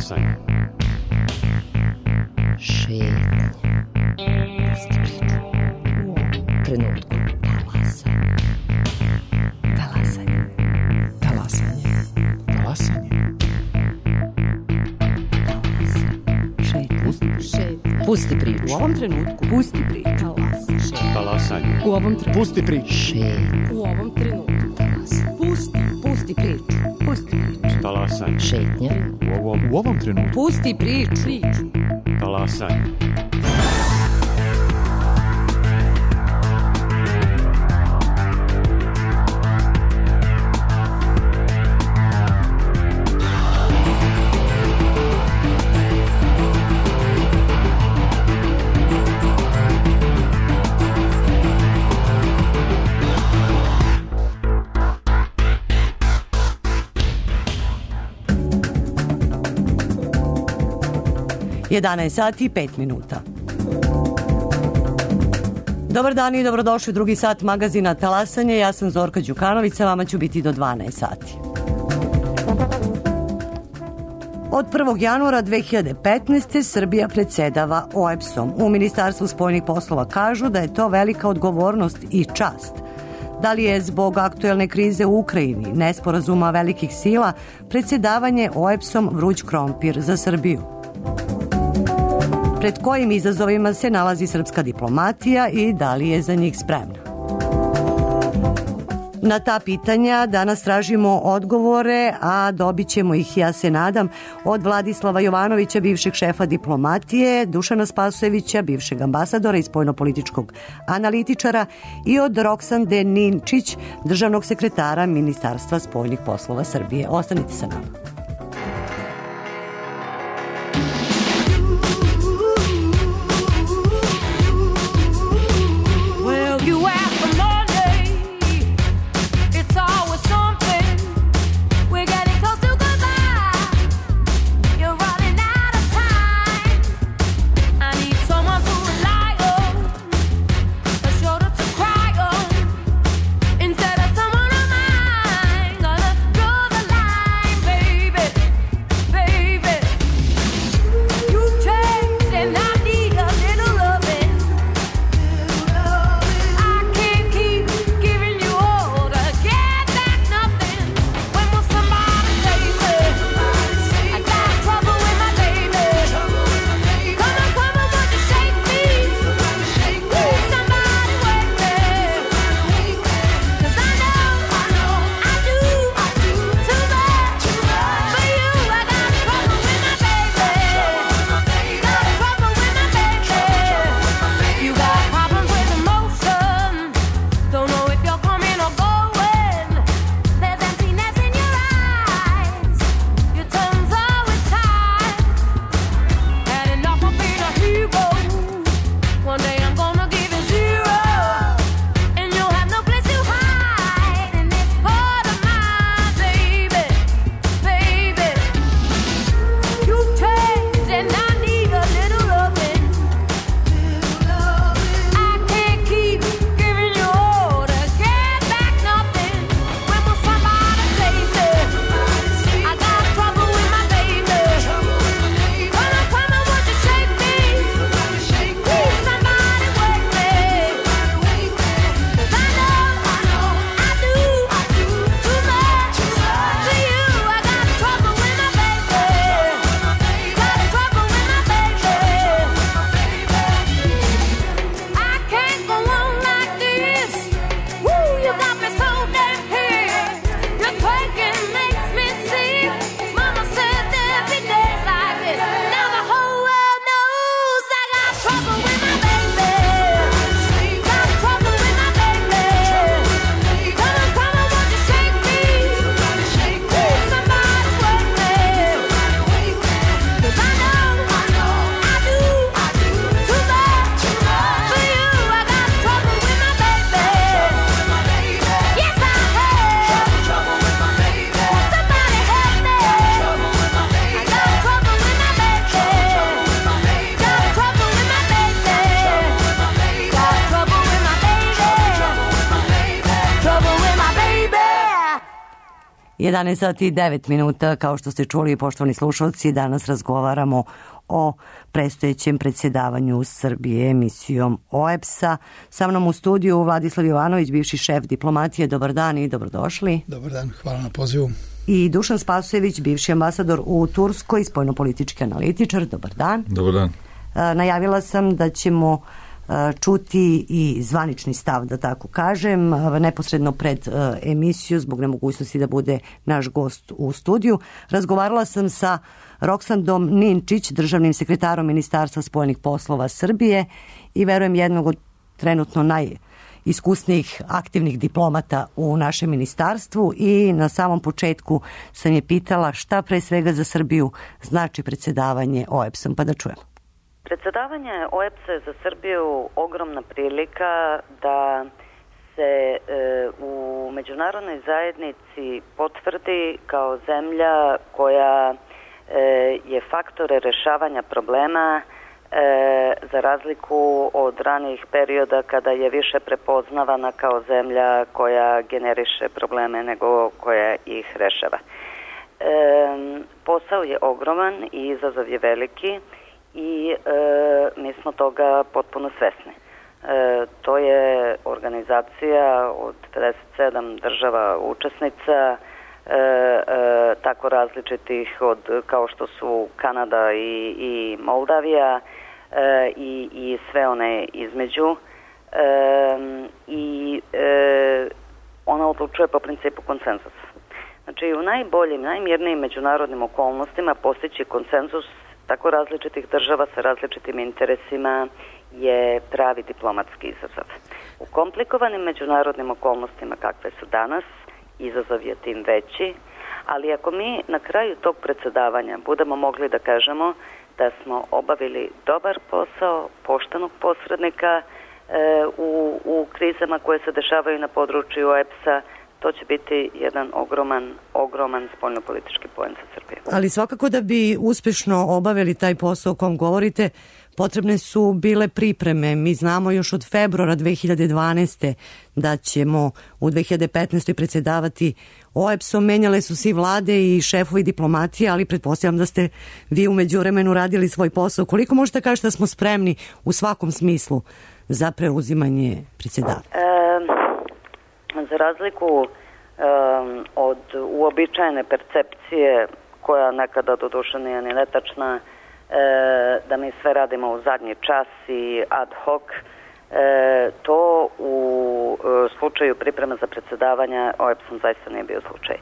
Talasanje. Šetnja. Pusti priču. U ovom trenutku. Talasanje. Talasanje. Talasanje. Talasanje. Šetnja. Pusti priču. U ovom trenutku. Pusti priču. Talasanje. U ovom trenutku. Pusti priču. Šetnja. U ovom trenutku. Pusti priču. Pusti priču. Talasanje. Šetnja. U ovom trenutku. Pusti priču. Talasanje. Sati i 5 minuta. Dobar dan i dobrodošli u drugi sat magazina Talasanje. Ja sam Zorka Đukanović, sa vama ću biti do 12 sati. Od 1. januara 2015. Srbija predsedava OEBS-om. U Ministarstvu spoljnih poslova kažu da je to velika odgovornost i čast. Da li je zbog aktuelne krize u Ukrajini, nesporazuma velikih sila, predsedavanje OEBS-om vruć krompir za Srbiju? Pred kojim izazovima se nalazi srpska diplomatija i da li je za njih spremna? Na ta pitanja danas tražimo odgovore, a dobit ćemo ih, ja se nadam, od Vladislava Jovanovića, bivšeg šefa diplomatije, Dušana Spasojevića, bivšeg ambasadora i spoljnopolitičkog analitičara, i od Roksande Ninčić, državnog sekretara Ministarstva spoljnih poslova Srbije. Ostanite sa nama. Baby 11 sati i 9 minuta, kao što ste čuli, poštovani slušalci, danas razgovaramo o predstojećem predsjedavanju Srbije emisijom OEBS-a. Sa mnom u studiju Vladislav Jovanović, bivši šef diplomatije. Dobar dan i dobrodošli. Dobar dan, hvala na pozivu. I Dušan Spasojević, bivši ambasador u Turskoj, spoljnopolitički analitičar. Dobar dan. Dobar dan. Najavila sam da ćemo čuti i zvanični stav, da tako kažem, neposredno pred emisiju zbog nemogućnosti da bude naš gost u studiju. Razgovarala sam sa Roksandom Ninčić, državnim sekretarom Ministarstva spoljnih poslova Srbije i verujem jednog od trenutno najiskusnijih aktivnih diplomata u našem ministarstvu, i na samom početku sam je pitala šta pre svega za Srbiju znači predsjedavanje OEBS-om, pa da čujemo. Predsjedavanje OEBS-a je za Srbiju ogromna prilika da se u međunarodnoj zajednici potvrdi kao zemlja koja je faktore rešavanja problema, za razliku od ranijih perioda kada je više prepoznavana kao zemlja koja generiše probleme nego koja ih rešava. Posao je ogroman i izazov je veliki i mi smo toga potpuno svesni. To je organizacija od 57 država učesnica, tako različitih kao što su Kanada i Moldavija i sve one između, i ona odlučuje po principu konsenzusa. Znači, u najboljim, najmirnijim međunarodnim okolnostima postići konsenzus tako različitih država sa različitim interesima je pravi diplomatski izazov. U komplikovanim međunarodnim okolnostima kakve su danas, izazov je tim veći, ali ako mi na kraju tog predsjedavanja budemo mogli da kažemo da smo obavili dobar posao poštenog posrednika u krizama koje se dešavaju na području OEBS-a, to će biti jedan ogroman spoljnopolitički poen za Srbiju. Ali svakako da bi uspešno obavili taj posao o kom govorite, potrebne su bile pripreme. Mi znamo još od februara 2012. da ćemo u 2015. predsjedavati OEBS-om. Menjale su svi vlade i šefovi diplomatije, ali pretpostavljam da ste vi u međuvremenu radili svoj posao. Koliko možete kažete da smo spremni u svakom smislu za preuzimanje predsjedavanja? Za razliku od uobičajene percepcije, koja nekada doduše nije ni netačna, da mi sve radimo u zadnji čas i ad hoc, to u slučaju pripreme za predsjedavanja OEBS-om zaista nije bio slučaj.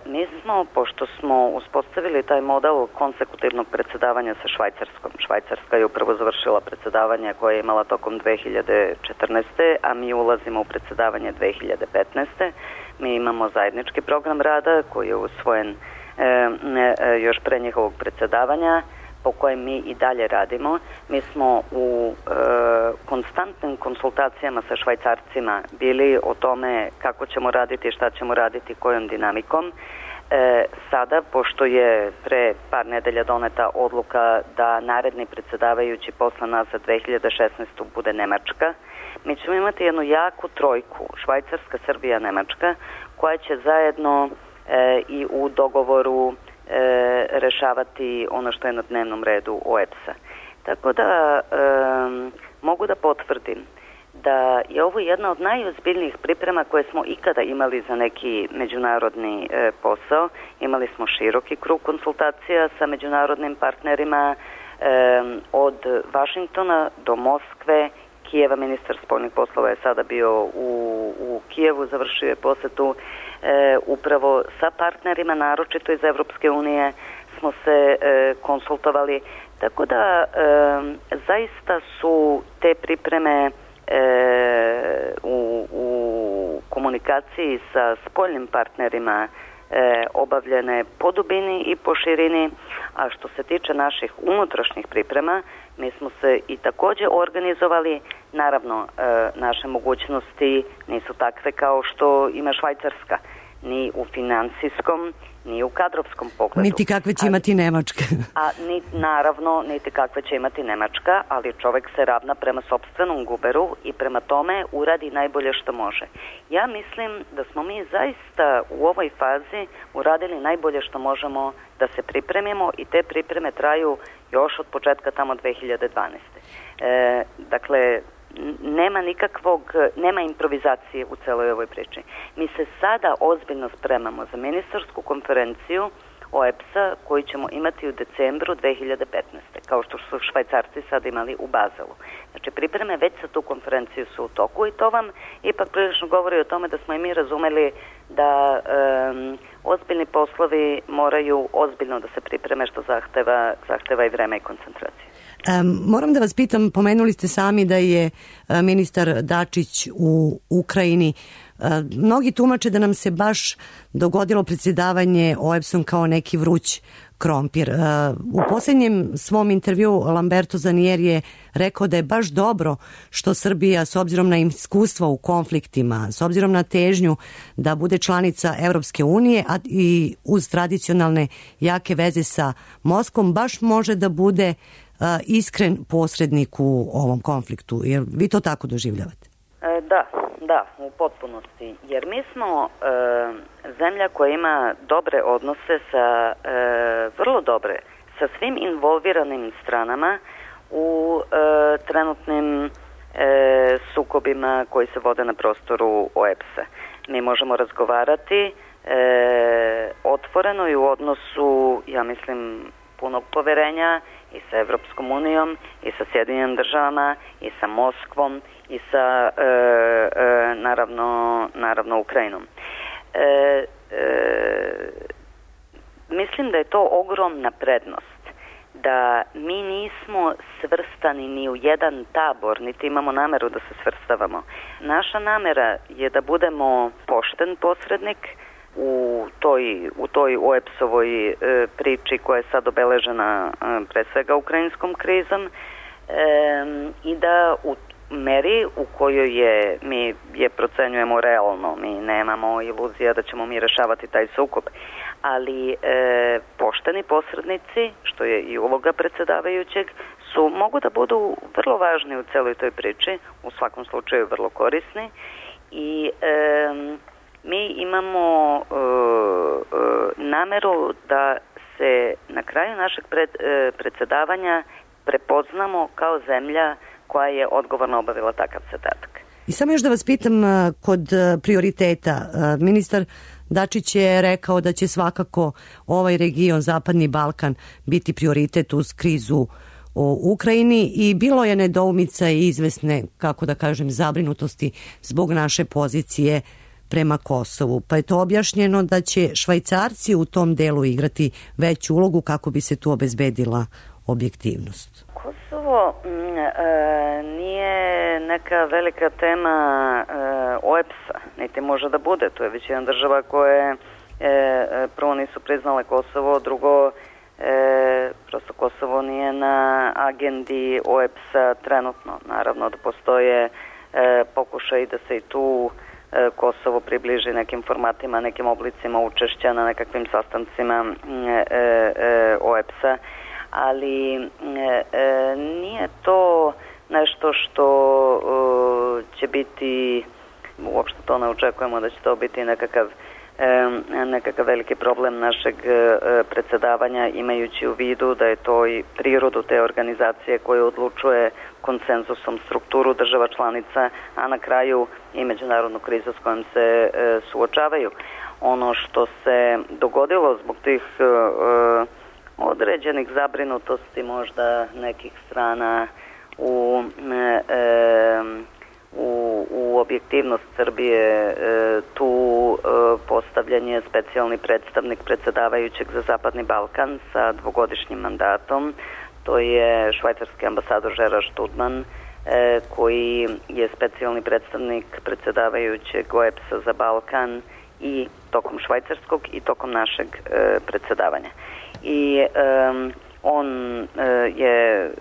Mi smo, pošto smo uspostavili taj model konsekutivnog predsjedavanja sa Švajcarskom. Švajcarska je upravo završila predsjedavanje koje je imala tokom 2014. a mi ulazimo u predsjedavanje 2015. Mi imamo zajednički program rada koji je usvojen još pre njihovog predsjedavanja, po kojem mi i dalje radimo. Mi smo u konstantnim konsultacijama sa Švajcarcima bili o tome kako ćemo raditi, šta ćemo raditi, kojom dinamikom. Sada, pošto je pre par nedelja doneta odluka da naredni predsjedavajući posle nas za 2016. bude Nemačka, mi ćemo imati jednu jaku trojku, Švajcarska, Srbija, Nemačka, koja će zajedno i u dogovoru rešavati ono što je na dnevnom redu OEBS-a. Tako da mogu da potvrdim da je ovo jedna od najozbiljnijih priprema koje smo ikada imali za neki međunarodni posao. Imali smo široki krug konsultacija sa međunarodnim partnerima od Vašingtona do Moskve, Kijeva. Ministar spoljnih poslova je sada bio u Kijevu, završio je posetu. Upravo sa partnerima, naročito iz Evropske unije, smo se konsultovali. Tako da zaista su te pripreme u komunikaciji sa spoljnim partnerima obavljene po dubini i po širini, a što se tiče naših unutrašnjih priprema, mi smo se i također organizovali. Naravno, naše mogućnosti nisu takve kao što ima Švajcarska. ni u financijskom, ni u kadrovskom pogledu. Niti kakve će imati Nemačka. Naravno, niti kakve će imati Nemačka, ali čovek se ravna prema sopstvenom guberu i prema tome uradi najbolje što može. Ja mislim da smo mi zaista u ovoj fazi uradili najbolje što možemo da se pripremimo i te pripreme traju još od početka tamo 2012. Dakle, nema improvizacije u celoj ovoj priči. Mi se sada ozbiljno spremamo za ministarsku konferenciju OEBS-a koju ćemo imati u decembru 2015. kao što su Švajcarci sad imali u Bazelu. Znači, pripreme već za tu konferenciju su u toku i to vam ipak prilično govori o tome da smo i mi razumeli da ozbiljni poslovi moraju ozbiljno da se pripreme, što zahteva i vreme i koncentracije. Moram da vas pitam, pomenuli ste sami da je ministar Dačić u Ukrajini. Mnogi tumače da nam se baš dogodilo predsjedavanje OEBS-om kao neki vruć krompir. U posljednjem svom intervju Lamberto Zanier je rekao da je baš dobro što Srbija, s obzirom na iskustvo u konfliktima, s obzirom na težnju da bude članica Evropske unije, a i uz tradicionalne jake veze sa Moskvom, baš može da bude iskren posrednik u ovom konfliktu. Jer vi to tako doživljavate? Da, u potpunosti. Jer mi smo zemlja koja ima dobre odnose vrlo dobre, sa svim involviranim stranama u trenutnim sukobima koji se vode na prostoru OEBS-a. Mi možemo razgovarati otvoreno i u odnosu, ja mislim, punog poverenja i sa Evropskom unijom, i sa Sjedinjenim državama, i sa Moskvom, i sa naravno Ukrajinom. Mislim da je to ogromna prednost, da mi nismo svrstani ni u jedan tabor, niti imamo nameru da se svrstavamo. Naša namera je da budemo pošten posrednik u toj OEBS-ovoj priči koja je sad obeležena pre svega ukrajinskom krizom i da u meri u kojoj mi je procenjujemo realno, mi nemamo iluzija da ćemo mi rešavati taj sukob, ali pošteni posrednici, što je i uloga predsjedavajućeg, mogu da budu vrlo važni u celoj toj priči, u svakom slučaju vrlo korisni i mi imamo nameru da se na kraju našeg predsjedavanja prepoznamo kao zemlja koja je odgovorno obavila takav zadatak. I samo još da vas pitam kod prioriteta. Ministar Dačić je rekao da će svakako ovaj region, Zapadni Balkan, biti prioritet uz krizu u Ukrajini i bilo je nedoumica i izvesne, kako da kažem, zabrinutosti zbog naše pozicije prema Kosovu. Pa je to objašnjeno da će Švajcarci u tom delu igrati veću ulogu kako bi se tu obezbedila objektivnost. Kosovo nije neka velika tema OEBS-a, niti može da bude. To je već jedna država koje prvo nisu priznale Kosovo, drugo prosto Kosovo nije na agendi OEBS-a trenutno. Naravno da postoje pokušaj da se i tu Kosovo približi nekim formatima, nekim oblicima učešća na nekakvim sastancima OEBS-a, ali nije to nešto što će biti, uopšte to ne očekujemo da će to biti nekakav veliki problem našeg predsjedavanja, imajući u vidu da je to i prirodu te organizacije koja odlučuje konsenzusom strukturu država članica, a na kraju i međunarodnu krizu s kojom se suočavaju. Ono što se dogodilo zbog tih određenih zabrinutosti možda nekih strana u objektivnost Srbije, tu postavljen je specijalni predstavnik predsjedavajućeg za Zapadni Balkan sa dvogodišnjim mandatom. To je švajcarski ambasador Gerard Studman, koji je specijalni predstavnik predsjedavajućeg OEBS-a za Balkan i tokom švajcarskog i tokom našeg predsjedavanja. I on je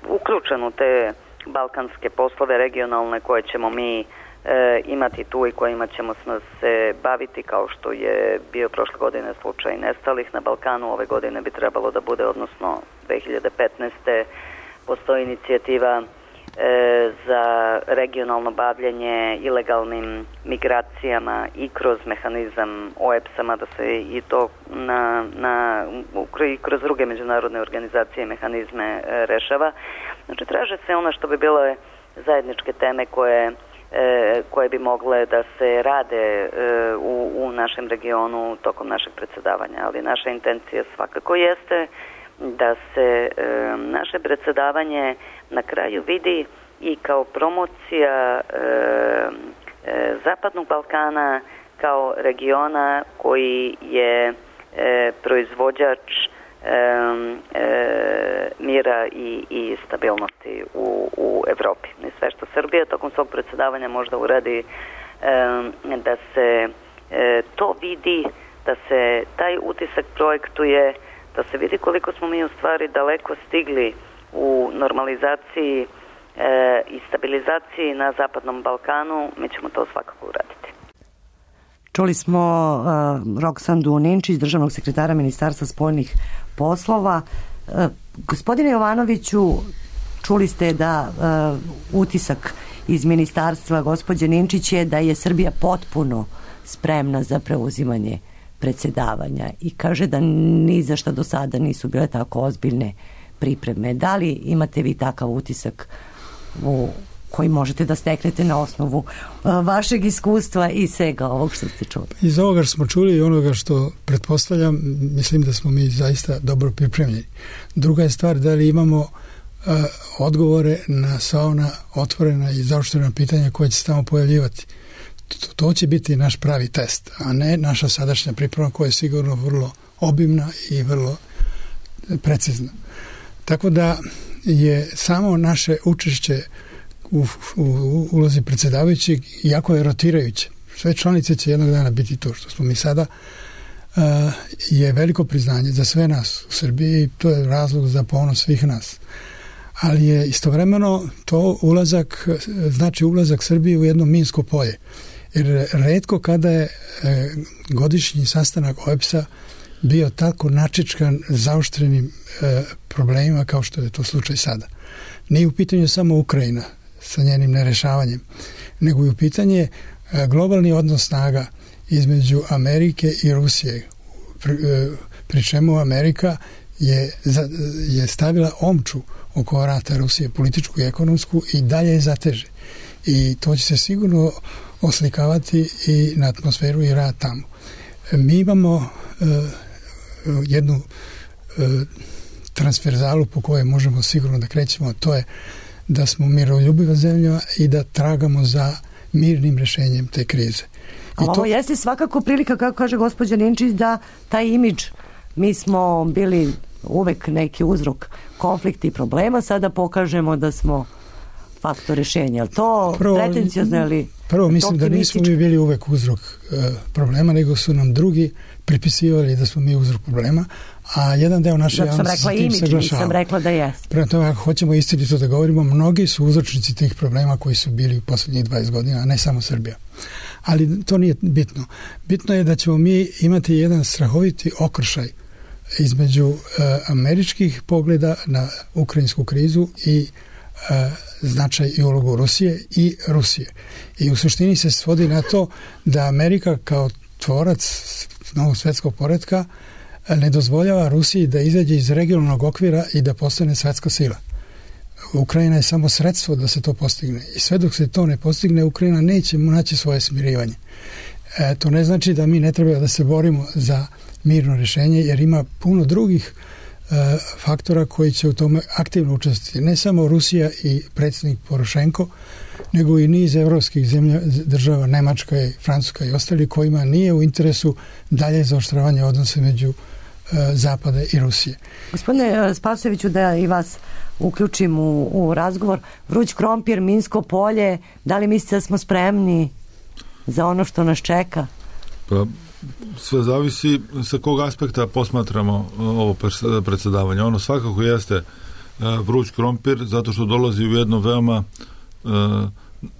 uključen u te balkanske poslove regionalne koje ćemo mi imati tu i kojima ćemo se baviti, kao što je bio prošle godine slučaj nestalih na Balkanu. Ove godine bi trebalo da bude, odnosno 2015. postoji inicijativa za regionalno bavljanje ilegalnim migracijama i kroz mehanizam OEBS-a, da se i to i kroz druge međunarodne organizacije i mehanizme rešava. Znači, traže se ono što bi bile zajedničke teme koje bi mogle da se rade u našem regionu tokom našeg predsjedavanja, ali naša intencija svakako jeste da se naše predsjedavanje na kraju vidi i kao promocija Zapadnog Balkana kao regiona koji je proizvođač mira i stabilnosti u Evropi. I sve što Srbija tokom svog predsjedavanja možda uradi da se to vidi, da se taj utisak projektuje, da se vidi koliko smo mi u stvari daleko stigli u normalizaciji i stabilizaciji na Zapadnom Balkanu, mi ćemo to svakako uraditi. Čuli smo Roksandu Ninčić, državnog sekretara Ministarstva spoljnih poslova. Gospodine Jovanoviću, čuli ste da utisak iz ministarstva gospođe Ninčić je da je Srbija potpuno spremna za preuzimanje predsjedavanja i kaže da ni za šta do sada nisu bile tako ozbiljne pripreme. Da li imate vi takav utisak koji možete da steknete na osnovu vašeg iskustva i svega ovog što ste čuli? Iz ovoga što smo čuli i onoga što pretpostavljam, mislim da smo mi zaista dobro pripremljeni. Druga je stvar da li imamo odgovore na sva ona otvorena i zaoštrena pitanja koje će se tamo pojavljivati. To će biti naš pravi test, a ne naša sadašnja priprema koja je sigurno vrlo obimna i vrlo precizna. Tako da je samo naše učešće u ulozi predsjedavajućeg jako je rotirajuće. Sve članice će jednog dana biti to što smo mi sada, je veliko priznanje za sve nas u Srbiji i to je razlog za ponos svih nas. Ali je istovremeno to znači ulazak Srbije u jedno minsko polje. Jer retko kada je godišnji sastanak OEBS-a bio tako načičkan zaoštrenim problemima kao što je to slučaj sada. Nije u pitanju samo Ukrajina sa njenim nerešavanjem, nego i u pitanje globalni odnos snaga između Amerike i Rusije, pri čemu Amerika je stavila omču oko vrata Rusije, političku i ekonomsku, i dalje je zateže. I to će se sigurno oslikavati i na atmosferu i rad tamo. Mi imamo jednu transferzalu po kojoj možemo sigurno da krećemo, a to je da smo miroljubiva zemlja i da tragamo za mirnim rješenjem te krize. Ali ovo jeste svakako prilika, kako kaže gospođa Ninčić, da taj imidž, mi smo bili uvek neki uzrok konflikta i problema, sada pokažemo da smo faktor rješenja. Ali to pretencijozno ili prvo mislim da nismo mi bili uvek uzrok problema, nego su nam drugi pripisivali da smo mi uzrok problema, a jedan deo naše javnosti sa tim saglašava. Nisam rekla da jeste. Prema tome, ako hoćemo istinito da govorimo, mnogi su uzročnici tih problema koji su bili u posljednjih 20 godina, a ne samo Srbija. Ali to nije bitno. Bitno je da ćemo mi imati jedan strahoviti okršaj između američkih pogleda na ukrajinsku krizu i značaj i ulogu Rusije i Rusije. I u suštini se svodi na to da Amerika kao tvorac novog svjetskog poretka ne dozvoljava Rusiji da izađe iz regionalnog okvira i da postane svjetska sila. Ukrajina je samo sredstvo da se to postigne. I sve dok se to ne postigne, Ukrajina neće naći svoje smirivanje. To ne znači da mi ne treba da se borimo za mirno rješenje, jer ima puno drugih faktora koji će u tome aktivno učestvovati. Ne samo Rusija i predsjednik Porošenko, nego i niz evropskih država, Nemačka i Francuska i ostali, kojima nije u interesu dalje zaoštravanje odnose među Zapada i Rusije. Gospodine Spasojeviću, da i vas uključim u razgovor. Vruć krompir, minsko polje, da li mislite da smo spremni za ono što nas čeka? Pa, sve zavisi sa kog aspekta posmatramo ovo predsjedavanje. Ono svakako jeste vruć krompir, zato što dolazi u jedno veoma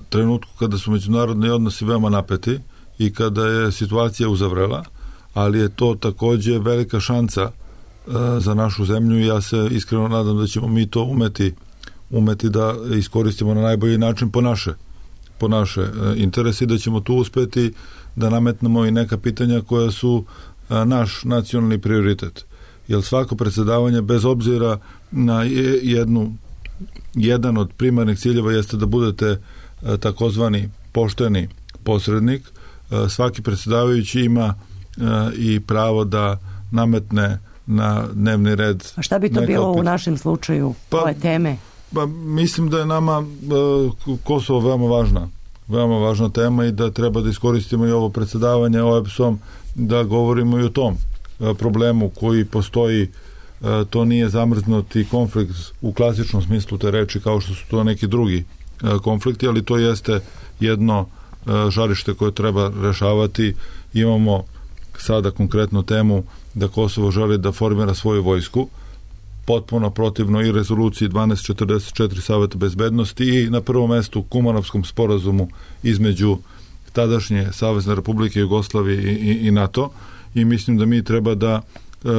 trenutku kada su međunarodni odnosi veoma napeti i kada je situacija uzavrela, ali je to takođe velika šansa za našu zemlju i ja se iskreno nadam da ćemo mi to umeti da iskoristimo na najbolji način po naše interese i da ćemo tu uspeti da nametnemo i neka pitanja koja su naš nacionalni prioritet. Jer svako predsjedavanje, bez obzira na jedan od primarnih ciljeva jeste da budete takozvani pošteni posrednik. Svaki predsjedavajući ima i pravo da nametne na dnevni red. A šta bi to bilo u našem slučaju, ove teme? Pa mislim da je nama Kosovo veoma važna tema i da treba da iskoristimo i ovo predsjedavanje OEBS-om da govorimo i o tom problemu koji postoji. To nije zamrznuti konflikt u klasičnom smislu te reči kao što su to neki drugi konflikti, ali to jeste jedno žarište koje treba rešavati. Imamo sada konkretnu temu da Kosovo želi da formira svoju vojsku, potpuno protivno i rezoluciji 1244 Saveta bezbednosti i na prvom mestu Kumanovskom sporazumu između tadašnje Savezne Republike Jugoslavije i NATO, i mislim da mi treba da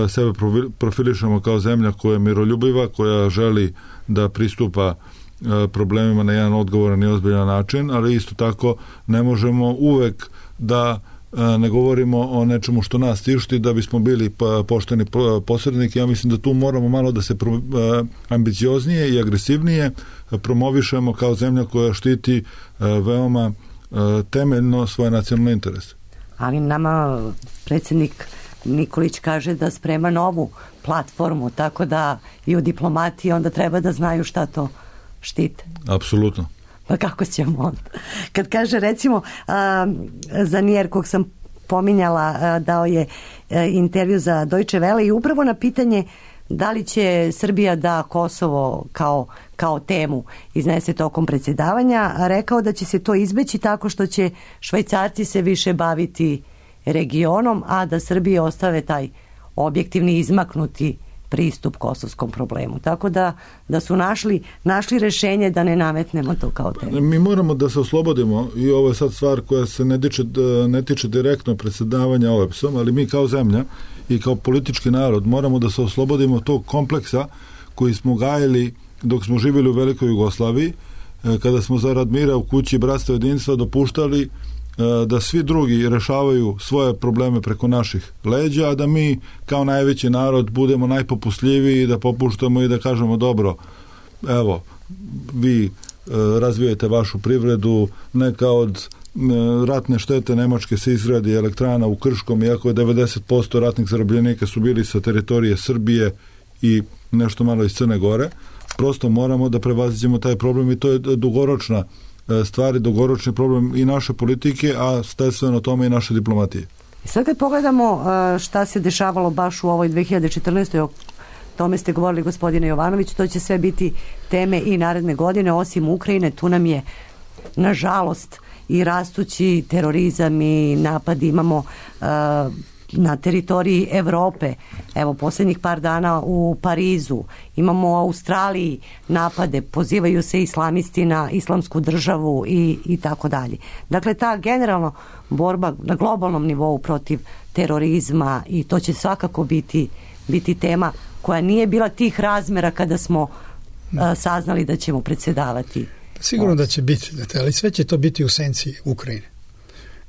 sebe profilišemo kao zemlja koja je miroljubiva, koja želi da pristupa problemima na jedan odgovoran i ozbiljan način, ali isto tako ne možemo uvek da ne govorimo o nečemu što nas tišti da bismo bili pošteni posrednik. Ja mislim da tu moramo malo da se ambicioznije i agresivnije promovišemo kao zemlja koja štiti veoma temeljno svoje nacionalne interese. Ali nama predsjednik Nikolić kaže da sprema novu platformu, tako da i u diplomatiji onda treba da znaju šta to štite. Apsolutno. Pa kako ćemo onda? Kad kaže recimo Zanier, kog sam pominjala, dao je intervju za Deutsche Welle i upravo na pitanje da li će Srbija da Kosovo kao temu iznese tokom predsjedavanja, rekao da će se to izbeći tako što će Švajcarci se više baviti regionom, a da Srbije ostave taj objektivni izmaknuti pristup kosovskom problemu. Tako da su našli rešenje da ne nametnemo to kao temu. Mi moramo da se oslobodimo i ovo je sad stvar koja se ne tiče direktno predsjedavanja OEBS-om, ali mi kao zemlja i kao politički narod moramo da se oslobodimo tog kompleksa koji smo gajili dok smo živjeli u Velikoj Jugoslaviji, kada smo zarad mira u kući bratstva jedinstva dopuštali da svi drugi rešavaju svoje probleme preko naših leđa, a da mi kao najveći narod budemo najpopustljiviji, da popuštamo i da kažemo dobro, evo, vi razvijete vašu privredu, neka od ratne štete Nemačke se izgradi elektrana u Krškom, iako je 90% ratnih zarobljenika su bili sa teritorije Srbije i nešto malo iz Crne Gore. Prosto moramo da prevaziđemo taj problem i to je dugoročna stvari, dugoročni problem i naše politike, a sledstveno tome i naše diplomatije. Sad kad pogledamo šta se dešavalo baš u ovoj 2014. o tome ste govorili, gospodine Jovanović, to će sve biti teme i naredne godine, osim Ukrajine, tu nam je nažalost i rastući terorizam i napad imamo na teritoriji Evrope. Evo, posljednjih par dana u Parizu, imamo u Australiji napade, pozivaju se islamisti na islamsku državu i tako dalje. Dakle, ta generalno borba na globalnom nivou protiv terorizma, i to će svakako biti tema koja nije bila tih razmera kada smo saznali da ćemo predsjedavati. Sigurno da će biti, ali sve će to biti u senci Ukrajine.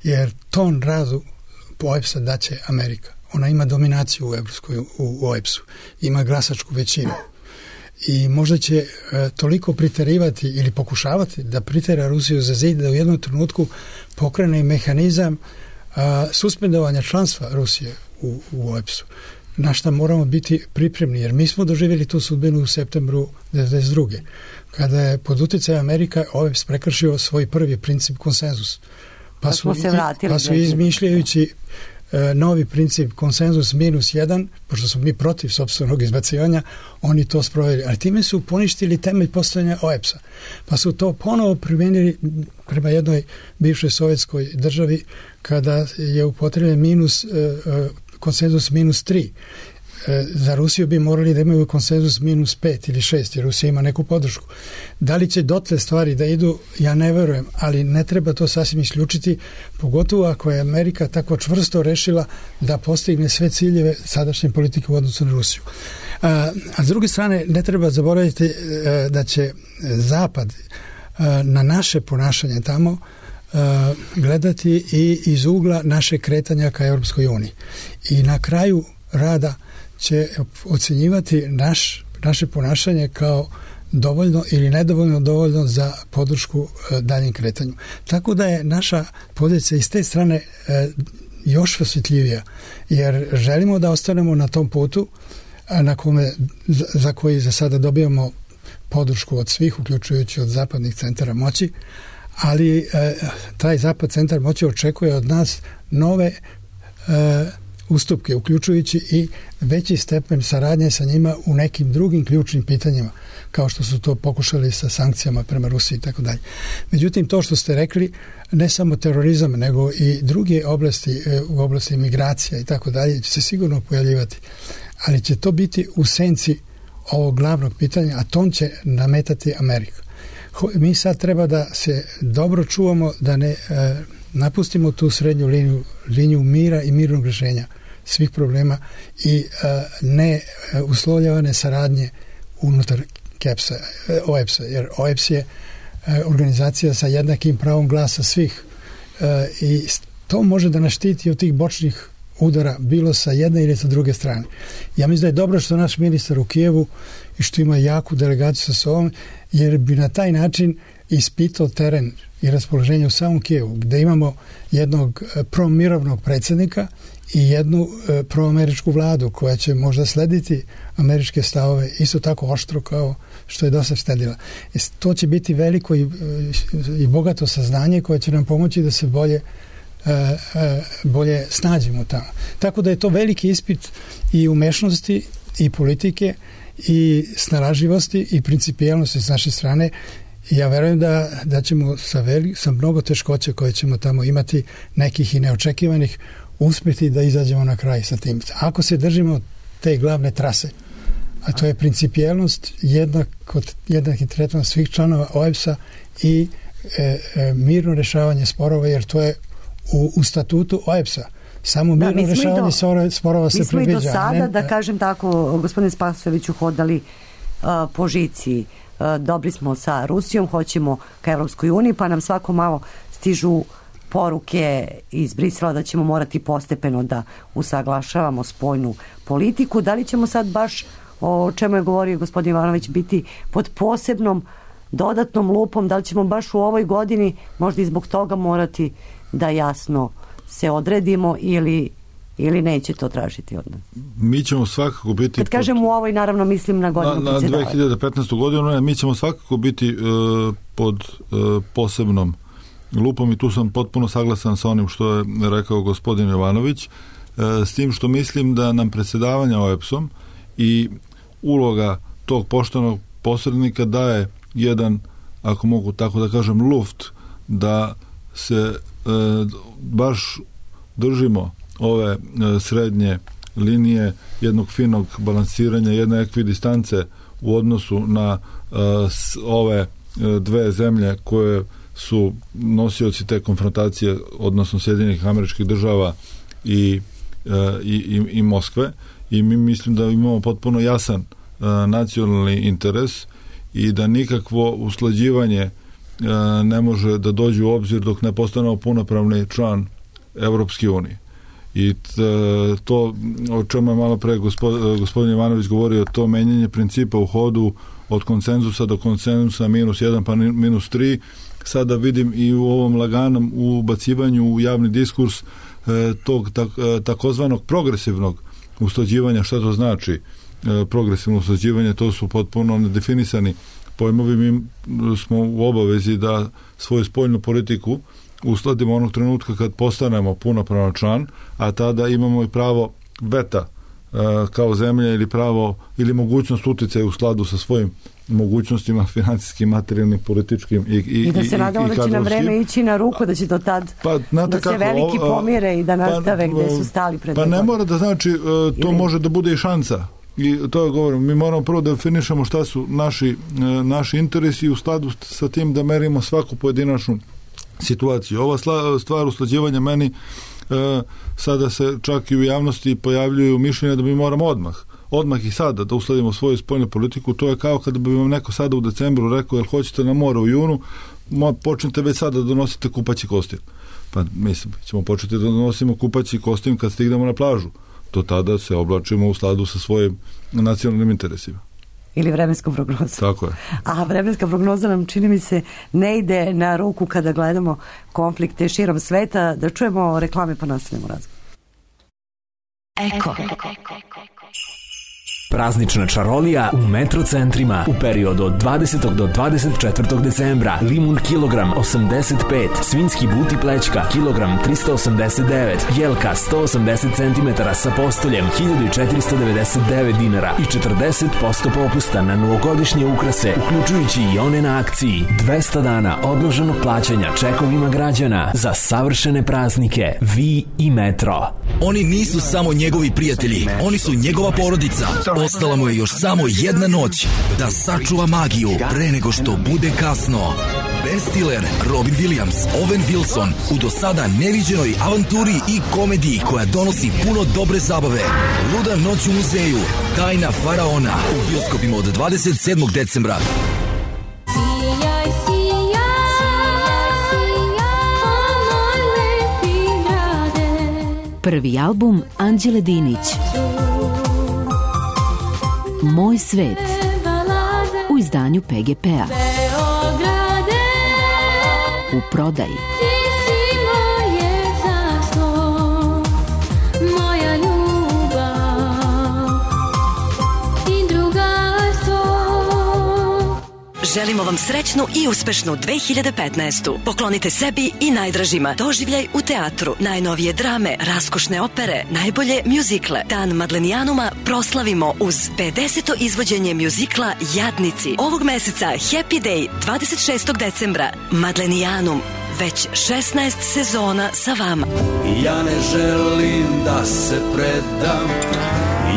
Jer ton radu po OEBS-a daće Amerika. Ona ima dominaciju u OEBS-u. Ima glasačku većinu. I možda će toliko priterivati ili pokušavati da pritera Rusiju za zid da u jednom trenutku pokrene mehanizam suspendovanja članstva Rusije u OEBS-u. Na šta moramo biti pripremni, jer mi smo doživjeli tu sudbinu u septembru 1992. Kada je pod utjecajem Amerika OEBS prekršio svoj prvi princip konsenzus. Pa su izmišljajući novi princip konsenzus -1, pošto smo mi protiv sopstvenog izbacivanja, oni to sproveli. Ali time su poništili temelj postojanja OEBS-a. Pa su to ponovo primijenili prema jednoj bivšoj sovjetskoj državi kada je upotrebljen konsenzus -3. za Rusiju bi morali da imaju konsenzus -5 ili 6, jer Rusija ima neku podršku. Da li će dotle stvari da idu, ja ne verujem, ali ne treba to sasvim isključiti, pogotovo ako je Amerika tako čvrsto rešila da postigne sve ciljeve sadašnje politike u odnosu na Rusiju. A s druge strane, ne treba zaboraviti da će Zapad na naše ponašanje tamo gledati i iz ugla naše kretanja ka Europskoj uniji. I na kraju rada će ocenjivati naše ponašanje kao dovoljno ili nedovoljno dovoljno za podršku daljem kretanju. Tako da je naša pozicija iz te strane još osjetljivija, jer želimo da ostanemo na tom putu za koji za sada dobijamo podršku od svih, uključujući od zapadnih centara moći, ali taj zapad centar moći očekuje od nas nove ustupke, uključujući i veći stepen saradnje sa njima u nekim drugim ključnim pitanjima, kao što su to pokušali sa sankcijama prema Rusiji i tako dalje. Međutim, to što ste rekli, ne samo terorizam, nego i druge oblasti, u oblasti migracija i tako dalje, će se sigurno pojavljivati. Ali će to biti u senci ovog glavnog pitanja, a tom će nametati Amerika. Mi sad treba da se dobro čuvamo, da ne napustimo tu srednju liniju mira i mirnog rješenja svih problema i ne uslovljavane saradnje unutar OEBS-a, jer OEBS je organizacija sa jednakim pravom glasa svih i to može da nas štiti od tih bočnih udara, bilo sa jedne ili sa druge strane. Ja mislim da je dobro što naš ministar u Kijevu i što ima jaku delegaciju sa sobom, jer bi na taj način ispitao teren i raspoloženje u samom Kijevu, gde imamo jednog promirovnog predsjednika i jednu proameričku vladu koja će možda slediti američke stavove isto tako oštro kao što je do sad sledila. To će biti veliko i bogato saznanje koje će nam pomoći da se bolje snađemo tamo. Tako da je to veliki ispit i umešnosti i politike i snalažljivosti i principijelnosti s naše strane. Ja verujem da ćemo sa mnogo teškoća koje ćemo tamo imati, nekih i neočekivanih, uspjeti da izađemo na kraj sa tim. Ako se držimo te glavne trase, a to je principijelnost, jednaki tretman svih članova OEBS-a i mirno rješavanje sporova, jer to je u statutu OEBS-a. Samo mirno rješavanje sporova se predviđa. Mi smo i do sada, da kažem tako, gospodine Spasojeviću, hodali po žici. Dobri smo sa Rusijom, hoćemo ka Evropskoj uniji, pa nam svako malo stižu poruke iz Brisela da ćemo morati postepeno da usaglašavamo spoljnu politiku. Da li ćemo sad baš, o čemu je govorio gospodin Ivanović, biti pod posebnom dodatnom lupom, da li ćemo baš u ovoj godini možda i zbog toga morati da jasno se odredimo ili neće to tražiti od nas? Mi ćemo svakako biti... Kad kažem u ovoj, naravno mislim na godinu predsjedavanja. Na 2015. godinu, mi ćemo svakako biti pod posebnom lupom i tu sam potpuno saglasan sa onim što je rekao gospodin Jovanović, s tim što mislim da nam predsjedavanje OEBS-om i uloga tog poštenog posrednika daje jedan, ako mogu tako da kažem, luft da se baš držimo ove srednje linije jednog finog balansiranja, jedne ekvidistance u odnosu na ove dve zemlje koje su nosioci te konfrontacije, odnosno Sjedinjenih Američkih Država i Moskve, i mi mislim da imamo potpuno jasan nacionalni interes i da nikakvo usklađivanje ne može da dođe u obzir dok ne postanemo punopravni član Evropske unije. I to o čemu je malo pre gospodin Jovanović govorio, to menjanje principa u hodu od konsenzusa do konsenzusa -1 pa -3, sada vidim i u ovom laganom ubacivanju u javni diskurs tog takozvanog progresivnog usklađivanja. Šta to znači progresivno usklađivanje? To su potpuno nedefinisani pojmovi. Mi smo u obavezi da svoju spoljnu politiku uskladimo onog trenutka kad postanemo punopravan član, a tada imamo i pravo veta kao zemlja ili pravo ili mogućnost uticaja u skladu sa svojim mogućnostima finansijskim, materijalnim, političkim i da se nadamo da će nam vreme ići na ruku, da će do tad da se veliki pomire i da nastave gde su stali pred ne mora da znači to može da bude i šansa. I to govorim, mi moramo prvo da definišemo šta su naši interesi i u skladu sa tim da merimo svaku pojedinačnu situaciju. Ova stvar usklađivanja meni sada se čak i u javnosti pojavljuju mišljenja da mi moramo odmah i sada da uskladimo svoju spoljnu politiku. To je kao kada bi vam neko sada u decembru rekao jel hoćete na more u junu, počnete već sada da donosite kupaći kostim. Pa mislim, ćemo početi da donosimo kupaći kostim kad stignemo na plažu. Do tada se oblačimo u skladu sa svojim nacionalnim interesima. Ili vremenskom prognozom. Tako je. A vremenska prognoza nam, čini mi se, ne ide na ruku kada gledamo konflikte širom sveta. Da čujemo reklame pa nastavimo razgovor. Eko. Praznična čarolija u Metro centrima u periodu od 20. do 24. decembra. Limun kilogram 85, svinjski but i plećka kilogram 389, jelka 180 cm sa postoljem 1499 dinara i 40% popusta na novogodišnje ukrase, uključujući i one na akciji. 200 dana odloženog plaćanja čekovima građana za savršene praznike. Vi i Metro. Oni nisu samo njegovi prijatelji, oni su njegova porodica. Ostala mu je još samo jedna noć da sačuva magiju pre nego što bude kasno. Ben Stiller, Robin Williams, Owen Wilson u do sada neviđenoj avanturi i komediji koja donosi puno dobre zabave. Luda noć u muzeju, Tajna faraona u bioskopima od 27. decembra. Prvi album Anđele Dinić, Moj svet, u izdanju PGP-a. U prodaji. Želimo vam srećnu i uspešnu 2015. Poklonite sebi i najdražima doživljaj u teatru, najnovije drame, raskošne opere, najbolje mjuzikle. Dan Madlenijanuma proslavimo uz 50. izvođenje mjuzikla Jadnici. Ovog meseca Happy Day 26. decembra. Madlenijanum, već 16 sezona sa vama. Ja ne želim da se predam,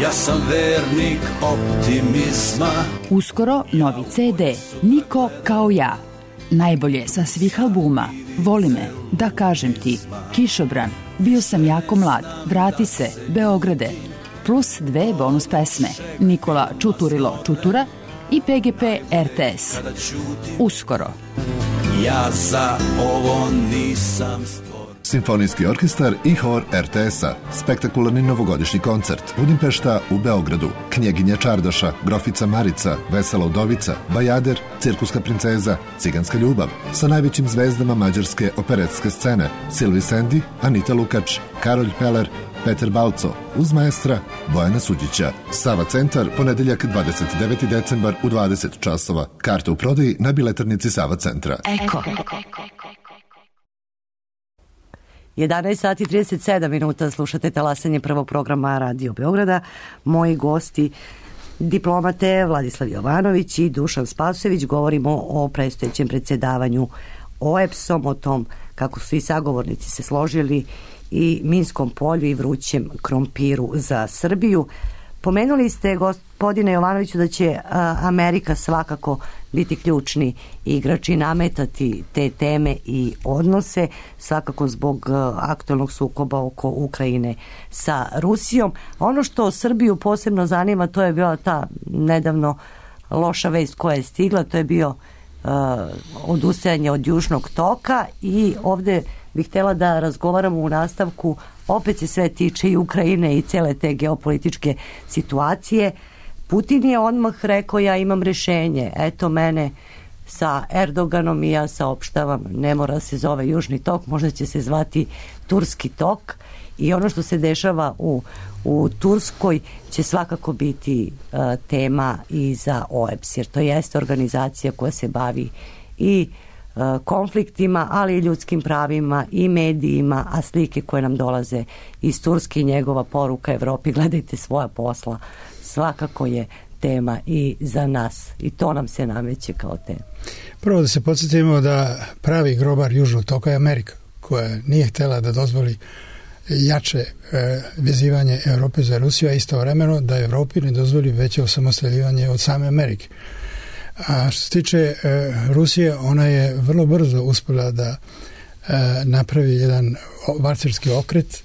ja sam vernik optimizma. Uskoro novi CD, Niko kao ja. Najbolje sa svih albuma. Voli me, da kažem ti, Kišobran, bio sam jako mlad, vrati se, Beograde. Plus 2 bonus pesme, Nikola Čuturilo Čutura i PGP RTS. Uskoro. Ja za ovo nisam stvoren. Simfonijski orkestar i hor RTS-a. Spektakularni novogodišnji koncert. Budimpešta u Beogradu. Knjeginja Čardaša, Grofica Marica, Vesela Udovica, Bajader, Cirkuska princeza, Ciganska ljubav. Sa najvećim zvezdama mađarske operetske scene. Silvi Sendi, Anita Lukač, Karolj Peler, Peter Balco, uz maestra Bojana Suđića. Sava centar, ponedeljak 29. decembar u 20 časova. Karte u prodaji na biletarnici Sava centra. Eko. 11 sati 37 minuta, slušate talasanje prvog programa Radio Beograda. Moji gosti, diplomate Vladislav Jovanović i Dušan Spasojević. Govorimo o predstojećem predsjedavanju OEBS-om, o tom kako su i sagovornici se složili, i minskom polju i vrućem krompiru za Srbiju. Pomenuli ste, gospodine Jovanoviću, da će Amerika svakako biti ključni igrač i nametati te teme i odnose, svakako zbog aktualnog sukoba oko Ukrajine sa Rusijom. Ono što Srbiju posebno zanima, to je bila ta nedavno loša vest koja je stigla, to je bio odustajanje od Južnog toka, i ovde bih htjela da razgovaramo u nastavku, opet se sve tiče i Ukrajine i cele te geopolitičke situacije. Putin je odmah rekao, ja imam rešenje, eto mene sa Erdoganom i ja saopštavam, ne mora se zove Južni tok, možda će se zvati Turski tok, i ono što se dešava u Turskoj će svakako biti tema i za OEBS, jer to jeste organizacija koja se bavi i konfliktima, ali i ljudskim pravima i medijima, a slike koje nam dolaze iz Turske i njegova poruka Evropi, gledajte svoja posla, svakako je tema i za nas i to nam se nameće kao tema. Prvo da se podsjetimo da pravi grobar Južnog toka je Amerika, koja nije htjela da dozvoli jače vezivanje Evrope za Rusiju, a istovremeno da Evropi ne dozvoli veće osamostaljivanje od same Amerike. A što se tiče Rusije, ona je vrlo brzo uspjela da napravi jedan varcerski okret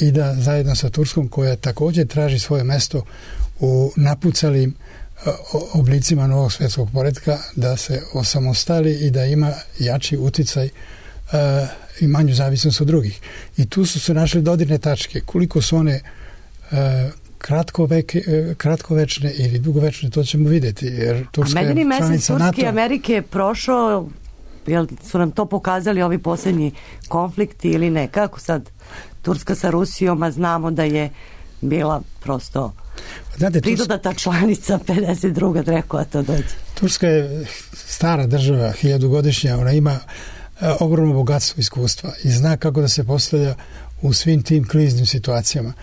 i da zajedno sa Turskom, koja također traži svoje mesto u napucalim oblicima novog svjetskog poretka, da se osamostali i da ima jači uticaj i manju zavisnost od drugih. I tu su se našli dodirne tačke. Koliko su one kratkovečne ili dugovečne, to ćemo vidjeti. Jer Turska je članica NATO. Turske i Amerike je prošao, jel su nam to pokazali ovi posljednji konflikti ili ne? Kako sad Turska sa Rusijom, a znamo da je bila prosto pridodata članica 52. rekao, a to dođe. Turska je stara država, 1000-godišnja, ona ima ogromno bogatstvo iskustva i zna kako da se postavlja u svim tim kriznim situacijama.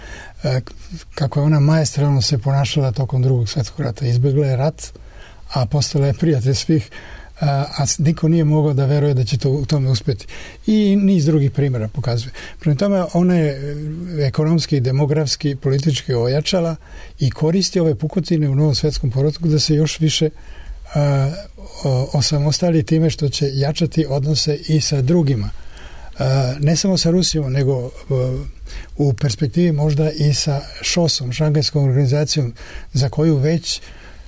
Kako je ona maestralno se ponašala tokom Drugog svjetskog rata. Izbjegla je rat, a postala je prijatelj svih, a niko nije mogao da veruje da će to u tome uspjeti. I niz drugih primjera pokazuje. Prema tome, ona je ekonomski, demografski, politički ojačala i koristi ove pukotine u Novom svjetskom poretku da se još više osamostali time što će jačati odnose i sa drugima. Ne samo sa Rusijom, nego u perspektivi možda i sa ŠOS-om, Šangajskom organizacijom, za koju već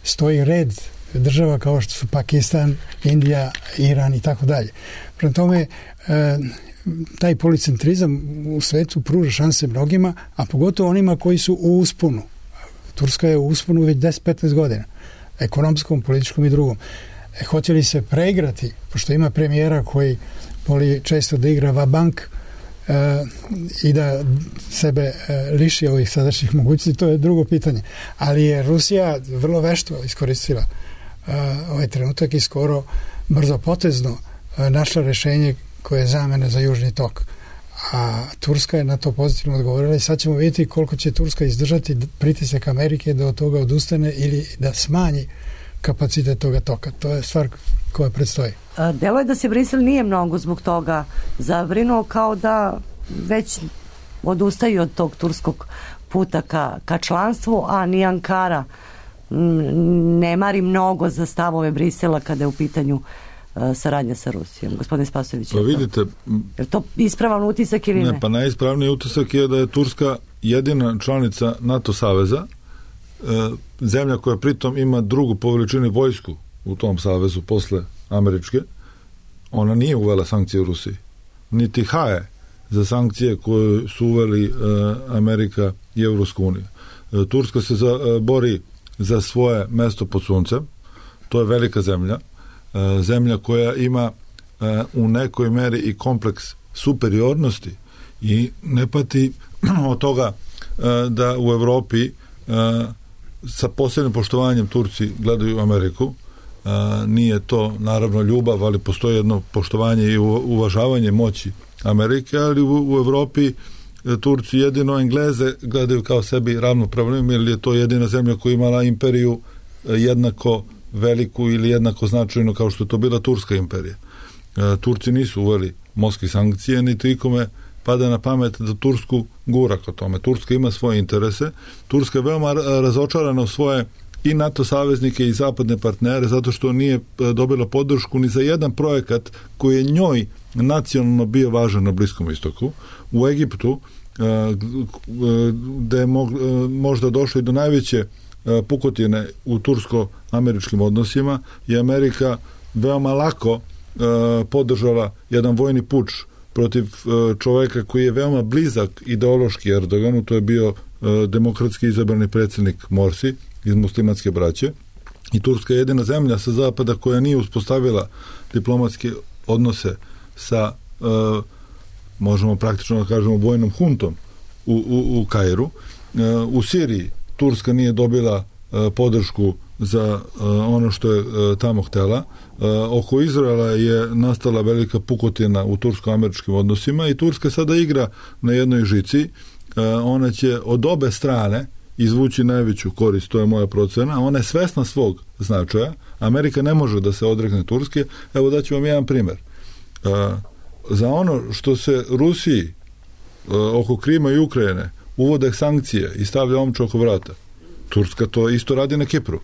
stoji red država kao što su Pakistan, Indija, Iran i tako dalje. Prema tome, taj policentrizam u svetu pruža šanse mnogima, a pogotovo onima koji su u usponu. Turska je u usponu već 10-15 godina. Ekonomskom, političkom i drugom. Hoće li se preigrati, pošto ima premijera koji voli često da igra va-bank i da sebe liši ovih sadašnjih mogućnosti, to je drugo pitanje. Ali je Rusija vrlo vešto iskoristila ovaj trenutak i skoro brzo potezno našla rješenje koje je zamena za Južni tok. A Turska je na to pozitivno odgovorila i sad ćemo vidjeti koliko će Turska izdržati pritisak Amerike da od toga odustane ili da smanji kapacitet toga toka. To je stvar koja predstoji. Delo je da se Brisel nije mnogo zbog toga zabrinuo, kao da već odustaju od tog turskog puta ka članstvu, a ni Ankara ne mari mnogo za stavove Brisela kada je u pitanju saradnja sa Rusijom. Gospodine Spasojević, pa vidite, je to ispravan utisak ili ne? Ne, pa najispravniji utisak je da je Turska jedina članica NATO saveza, zemlja koja pritom ima drugu po veličini vojsku u tom savezu posle američke. Ona nije uvela sankcije u Rusiji, niti haje za sankcije koje su uveli Amerika i Evropska unija. Turska se bori za svoje mesto pod suncem. To je velika zemlja, zemlja koja ima u nekoj meri i kompleks superiornosti i ne pati od toga da u Evropi sa posebnim poštovanjem Turci gledaju Ameriku. Nije to naravno ljubav, ali postoji jedno poštovanje i uvažavanje moći Amerike, ali u Evropi Turci jedino Engleze gledaju kao sebi ravnopravnim, jer je to jedina zemlja koja imala imperiju jednako veliku ili jednako značajno kao što je to bila Turska imperija. Turci nisu uveli moskve sankcije, niti ikome pada na pamet da Tursku gura ka tome. Turska ima svoje interese. Turska je veoma razočarana u svoje i NATO saveznike i zapadne partnere zato što nije dobila podršku ni za jedan projekat koji je njoj nacionalno bio važan na Bliskom istoku. U Egiptu, gde je možda došlo i do najveće pukotine u tursko-američkim odnosima, je Amerika veoma lako podržala jedan vojni puč protiv čoveka koji je veoma blizak ideološki Erdoganu, to je bio demokratski izabrani predsjednik Morsi iz muslimanske braće. I Turska je jedina zemlja sa zapada koja nije uspostavila diplomatske odnose sa možemo praktično da kažemo vojnom huntom u Kairu. U Siriji Turska nije dobila podršku za ono što je tamo htela. Oko Izraela je nastala velika pukotina u tursko-američkim odnosima i Turska sada igra na jednoj žici. Ona će od obe strane izvući najveću korist, to je moja procena. Ona je svesna svog značaja. Amerika ne može da se odrekne Turske. Evo daću vam jedan primjer. Za ono što se Rusiji oko Krima i Ukrajine uvode sankcije i stavlja omču oko vrata, Turska to isto radi na Kipru.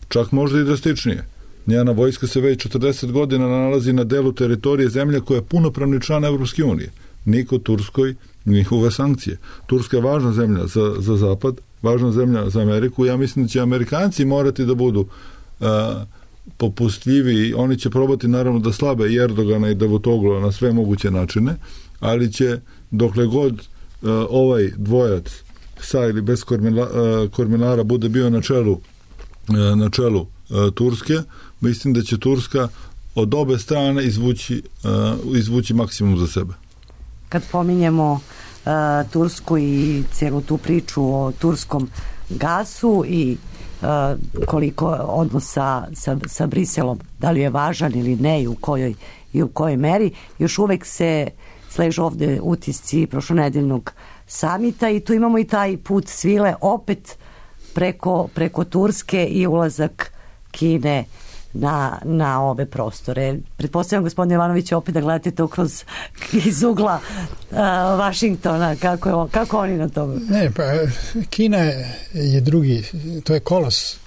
Čak možda i drastičnije. Njena vojska se već 40 godina nalazi na delu teritorije zemlje koja je punopravni član Evropske unije. Niko Turskoj njihove sankcije. Turska je važna zemlja za Zapad, važna zemlja za Ameriku. Ja mislim da će Amerikanci morati da budu popustljivi. Oni će probati naravno da slabe i Erdogana i Davutoglu na sve moguće načine, ali će dokle god ovaj dvojac sa ili bez kormilara bude bio na čelu Turske, mislim da će Turska od obe strane izvući maksimum za sebe. Kad pominjemo Tursku i cijelu tu priču o turskom gasu i koliko odnosa sa Briselom, da li je važan ili ne i u kojoj meri, još uvek se sležu ovde utisci prošlonedeljnog samita i tu imamo i taj put svile opet preko Turske i ulazak Kine na ove prostore. Pretpostavljam, gospodine Jovanović, opet da gledate to iz ugla Vašingtona, kako oni na tome? Ne, pa Kina je drugi, to je kolos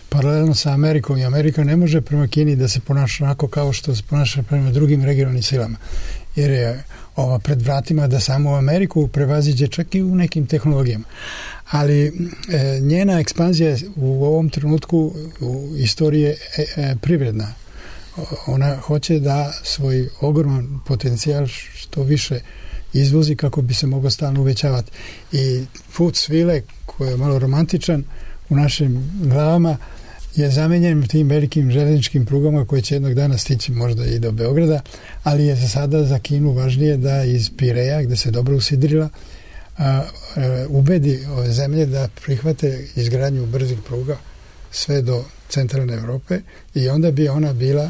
paralelno sa Amerikom i Amerika ne može prema Kini da se ponaša onako kao što se ponaša prema drugim regionalnim silama, jer je ova pred vratima da samo Ameriku prevaziđe čak i u nekim tehnologijama. Ali njena ekspanzija u ovom trenutku u istoriji je privredna. Ona hoće da svoj ogroman potencijal što više izvozi kako bi se mogao stalno uvećavati. I put svile, koji je malo romantičan u našim glavama, je zamenjen tim velikim železničkim prugama koje će jednog dana stići možda i do Beograda, ali je za sada za Kinu važnije da iz Pireja, gde se dobro usidrila, ubedi ove zemlje da prihvate izgradnju brzih pruga sve do centralne Evrope i onda bi ona bila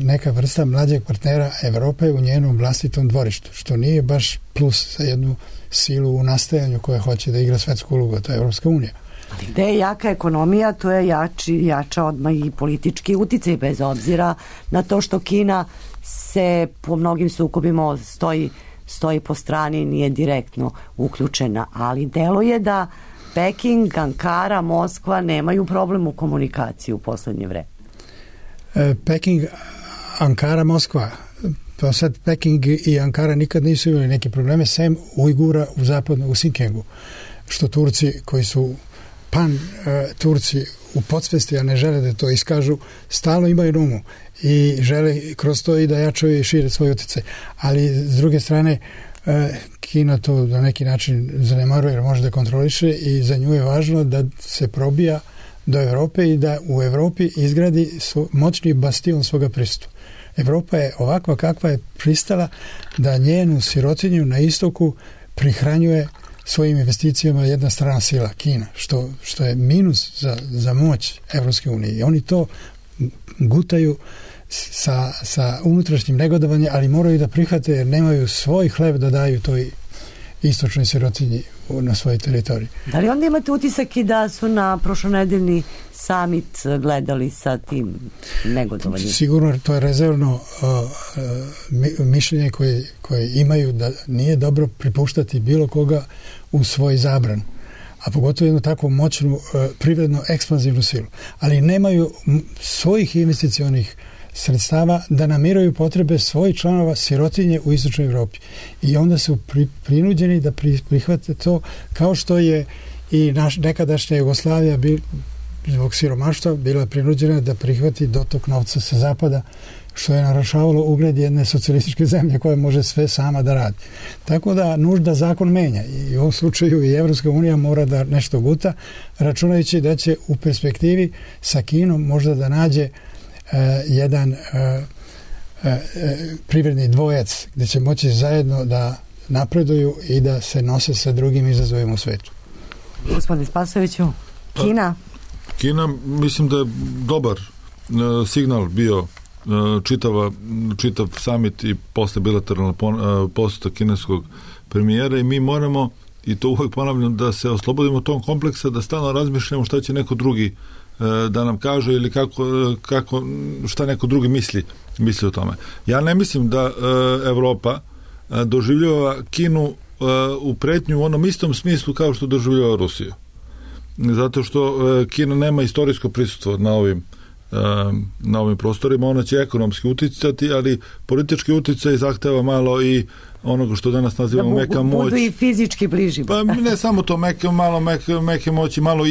neka vrsta mlađeg partnera Evrope u njenom vlastitom dvorištu, što nije baš plus za jednu silu u nastajanju koja hoće da igra svetsku ulogu, to je Evropska unija. Ali gde je jaka ekonomija, to je jača odmah i politički uticaj, bez obzira na to što Kina se po mnogim sukobima stoji po strani, nije direktno uključena, ali deluje da Peking, Ankara, Moskva nemaju problem u komunikaciji u poslednje vreme. Peking, Ankara, Moskva, pa sad Peking i Ankara nikad nisu imali neke probleme, sem Ujgura u Sinkengu, što Turci koji su Turci u podsvesti, a ne žele da to iskažu, stalno imaju na umu i žele kroz to i da jačaju i šire svoj utjecaj. Ali s druge strane Kina to na neki način zanemaruje jer može da kontroliše i za nju je važno da se probija do Evrope i da u Evropi izgradi moćni bastion svoga prisustva. Evropa je ovakva kakva je pristala da njenu sirotinju na istoku prihranjuje svojim investicijama jedna strana sila, Kina, što je minus za moć Evropske unije. I oni to gutaju sa unutrašnjim negodovanjem, ali moraju da prihvate jer nemaju svoj hleb da daju toj istočnoj sirotinji na svojoj teritoriji. Da li onda imate utisak i da su na prošlonedeljni summit gledali sa tim negodovanjem? Sigurno to je rezervno mišljenje koje imaju da nije dobro pripuštati bilo koga u svoj zabran, a pogotovo jednu takvu moćnu privredno ekspanzivnu silu. Ali nemaju svojih investicionih sredstava da namiraju potrebe svojih članova sirotinje u istočnoj Evropi. I onda su prinuđeni da prihvate to, kao što je i nekadašnja Jugoslavija zbog siromaštva bila prinuđena da prihvati dotok novca sa zapada, što je narušavalo ugled jedne socijalističke zemlje koja može sve sama da radi. Tako da nužda zakon menja i u ovom slučaju i Evropska unija mora da nešto guta, računajući da će u perspektivi sa Kinom možda da nađe jedan privredni dvojac gdje će moći zajedno da napreduju i da se nose sa drugim izazovima u svetu. Gospodin Spasojeviću, Kina? Kina, mislim da je dobar signal bio čitav summit i posle bilateralna poseta kineskog premijera i mi moramo, i to uvek ponavljam, da se oslobodimo tom kompleksa, da stalno razmišljamo šta će neko drugi da nam kaže ili šta neko drugi misli o tome. Ja ne mislim da Evropa doživljava Kinu u pretnju u onom istom smislu kao što doživljava Rusiju. Zato što Kina nema istorijsko prisustvo na ovim prostorima, ona će ekonomski uticati, ali politički uticaj zahteva malo i onoga što danas nazivamo meka moć. Da budu i fizički bliži. Pa ne samo to, meke moći, malo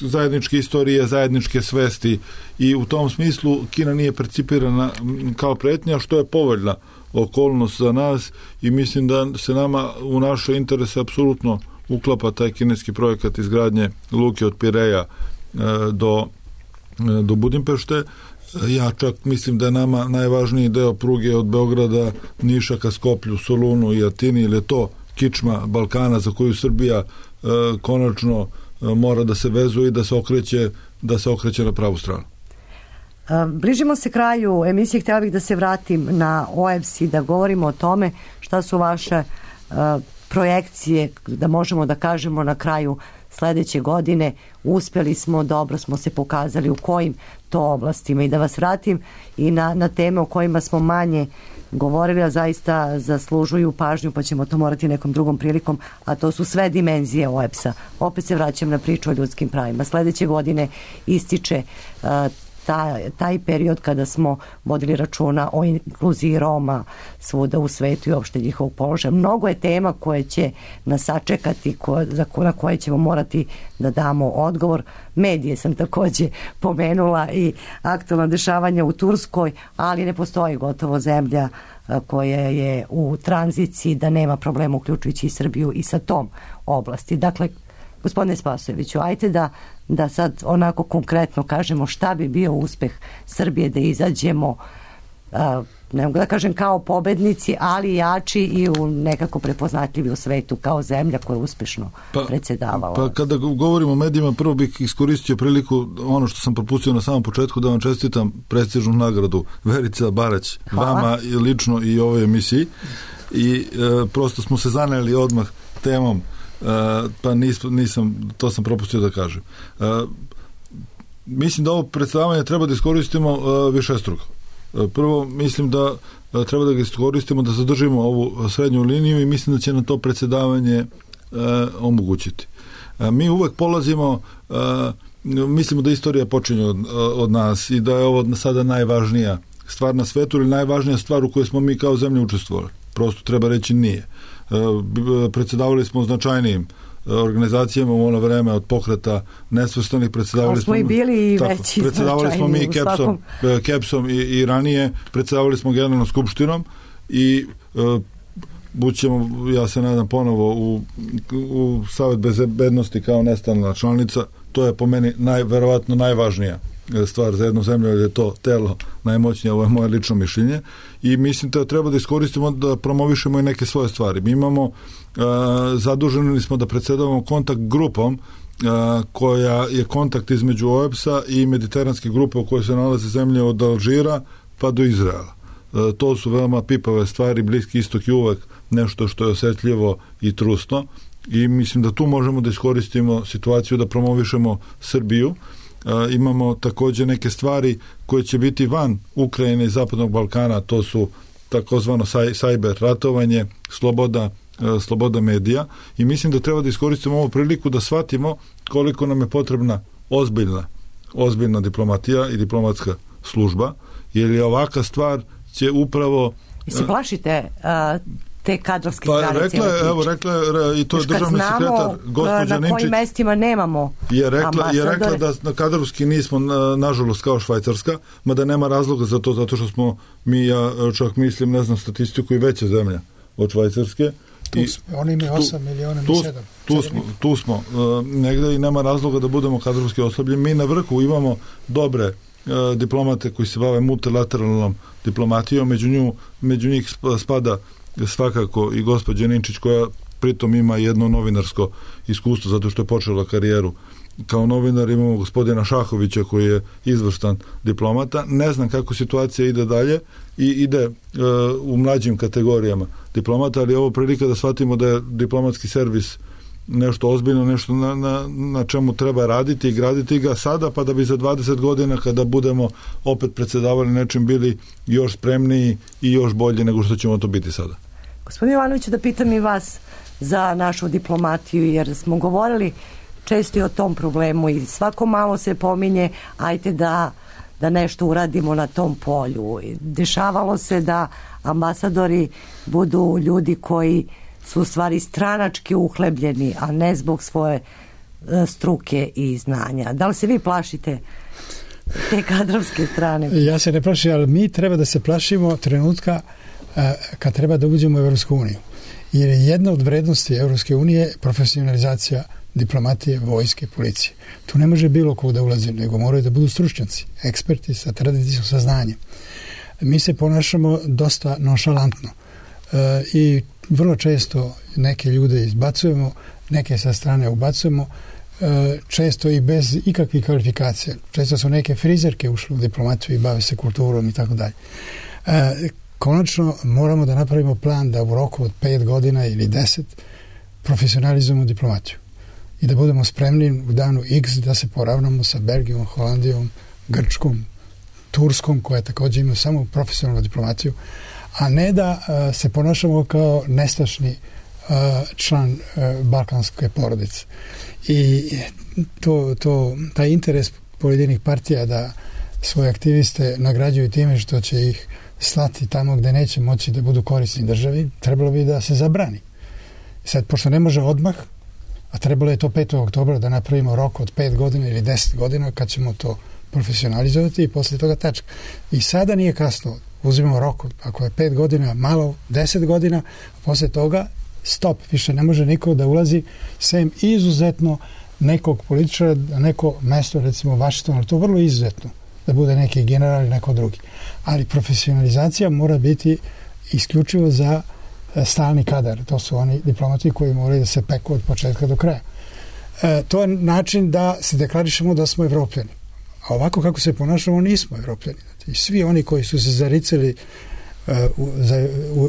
zajedničke istorije, zajedničke svesti i u tom smislu Kina nije percipirana kao pretnja, što je povoljna okolnost za nas i mislim da se nama u naše interese apsolutno uklapa taj kineski projekat izgradnje luke od Pireja do Budimpešte. Ja čak mislim da je nama najvažniji deo pruge od Beograda, Niša ka Skoplju, Solunu i Atini, ili je to kičma Balkana za koju Srbija konačno mora da se vezuje i da se okreće na pravu stranu. Bližimo se kraju emisije, htjela bih da se vratim na OEBS i da govorimo o tome šta su vaše projekcije, da možemo da kažemo na kraju sledeće godine uspeli smo, dobro smo se pokazali u kojim to oblastima, i da vas vratim i na teme o kojima smo manje govorili, a zaista zaslužuju pažnju, pa ćemo to morati nekom drugom prilikom, a to su sve dimenzije OEBS-a. Opet se vraćam na priču o ljudskim pravima. Sledeće godine ističe taj period kada smo vodili računa o inkluziji Roma svuda u svetu i uopšte njihovog položaja. Mnogo je tema koje će nas sačekati, na koje ćemo morati da damo odgovor. Medije sam takođe pomenula i aktualna dešavanja u Turskoj, ali ne postoji gotovo zemlja koja je u tranziciji da nema problema, uključujući i Srbiju i sa tom oblasti. Dakle, gospodine Spasojeviću, ajte da sad onako konkretno kažemo šta bi bio uspeh Srbije da izađemo, ne mogu da kažem kao pobednici, ali jači i nekako prepoznatljivi u svetu kao zemlja koja je uspešno predsedavala. Pa kada govorimo o medijima, prvo bih iskoristio priliku, ono što sam propustio na samom početku, da vam čestitam prestižnu nagradu Verica Barać, vama lično i ovoj emisiji, i prosto smo se zaneli odmah temom, pa nisam, to sam propustio da kažem. Mislim da ovo predstavljanje treba da iskoristimo višestruko. Prvo, mislim da treba da ga iskoristimo da zadržimo ovu srednju liniju i mislim da će nam to predsedavanje omogućiti. Mi uvek polazimo, mislimo da istorija počinje od nas i da je ovo sada najvažnija stvar na svetu ili najvažnija stvar u kojoj smo mi kao zemlja učestvovali. Prosto treba reći nije. Predsedavali smo značajnijim organizacijama u ono vreme, od pokreta nesvrstanih, predsedavali smo i bili i veći, predsedavali smo mi Kepsom i ranije, predsedavali smo Generalnom skupštinom i bućemo, ja se nadam, ponovo u Savet bezbednosti kao nestalna članica. To je po meni verovatno najvažnija stvar za jednu zemlju, jer je to telo najmoćnije, ovo je moje lično mišljenje, i mislim da treba da iskoristimo da promovišemo i neke svoje stvari. Mi imamo, zaduženi smo da predsedavamo kontakt grupom koja je kontakt između OEBS-a i mediteranske grupe u kojoj se nalaze zemlje od Alžira pa do Izraela. To su veoma pipave stvari, Bliski istok je uvek nešto što je osetljivo i trusno i mislim da tu možemo da iskoristimo situaciju da promovišemo Srbiju. Imamo takođe neke stvari koje će biti van Ukrajine i Zapadnog Balkana, to su takozvano cyber ratovanje, sloboda medija, i mislim da treba da iskoristimo ovu priliku da shvatimo koliko nam je potrebna ozbiljna diplomatija i diplomatska služba, jer je ovaka stvar će upravo... Se plašite te kadrovske strane? Rekla je, i to je državni sekretar, gospođa Ninčić. Na kojim mestima nemamo ambasadore. Je rekla da na kadrovski nismo, nažalost, kao Švajcarska, mada nema razloga za to, zato što smo mi, ja čak mislim, ne znam statistiku, i veća zemlja od Švajcarske. Oni imaju 8 miliona, mi 7. Tu smo negde i nema razloga da budemo kadrovski oslabljeni. Mi na vrhu imamo dobre diplomate koji se bave multilateralnom diplomatijom, među njih spada svakako i gospođa Ninčić, koja pritom ima jedno novinarsko iskustvo zato što je počela karijeru kao novinar. Imamo gospodina Šahovića koji je izvrstan diplomata. Ne znam kako situacija ide dalje i ide u mlađim kategorijama diplomata, ali je ovo prilika da shvatimo da je diplomatski servis nešto ozbiljno, nešto na čemu treba raditi i graditi ga sada, pa da bi za 20 godina kada budemo opet predsedavali nečim bili još spremniji i još bolji nego što ćemo to biti sada. Gospodin Jovanović, da pitam i vas za našu diplomatiju, jer smo govorili često i o tom problemu i svako malo se pominje ajte da nešto uradimo na tom polju. Dešavalo se da ambasadori budu ljudi koji su u stvari stranački uhlebljeni, a ne zbog svoje struke i znanja. Da li se vi plašite te kadrovske strane? Ja se ne plašim, ali mi treba da se plašimo trenutka kad treba da uđemo u Evropsku uniju. Jer je jedna od vrednosti Evropske unije profesionalizacija diplomatije, vojske, policije. Tu ne može bilo ko da ulazi, nego moraju da budu stručnjaci, eksperti sa tradicijskim saznanjem. Mi se ponašamo dosta nonšalantno i vrlo često neke ljude izbacujemo, neke sa strane ubacujemo, često i bez ikakvih kvalifikacija. Često su neke frizerke ušle u diplomatiju i bave se kulturom i tako dalje. Konačno moramo da napravimo plan da u roku od 5 godina ili 10 profesionalizujemo diplomatiju i da budemo spremni u danu X da se poravnamo sa Belgijom, Holandijom, Grčkom, Turskom, koja također ima samo profesionalnu diplomaciju, a ne da se ponašamo kao nestašni član balkanske porodice. I taj interes pojedinih partija da svoje aktiviste nagrađuju time što će ih slati tamo gde neće moći da budu korisni državi, trebalo bi da se zabrani. Sad, pošto ne može odmah, a trebalo je to 5. oktobra da napravimo rok od 5 godina ili 10 godina kad ćemo to profesionalizovati i posle toga tačka. I sada nije kasno, uzimamo rok, ako je 5 godina malo, 10 godina, a posle toga stop, više ne može niko da ulazi sem izuzetno nekog političara, neko mesto, recimo Vašington, ali to vrlo izuzetno, da bude neki general ili neko drugi. Ali profesionalizacija mora biti isključivo za stalni kadar. To su oni diplomati koji moraju da se peku od početka do kraja. To je način da se deklarišemo da smo Evropljani. A ovako kako se ponašamo, nismo Evropljani. I svi oni koji su se zaricali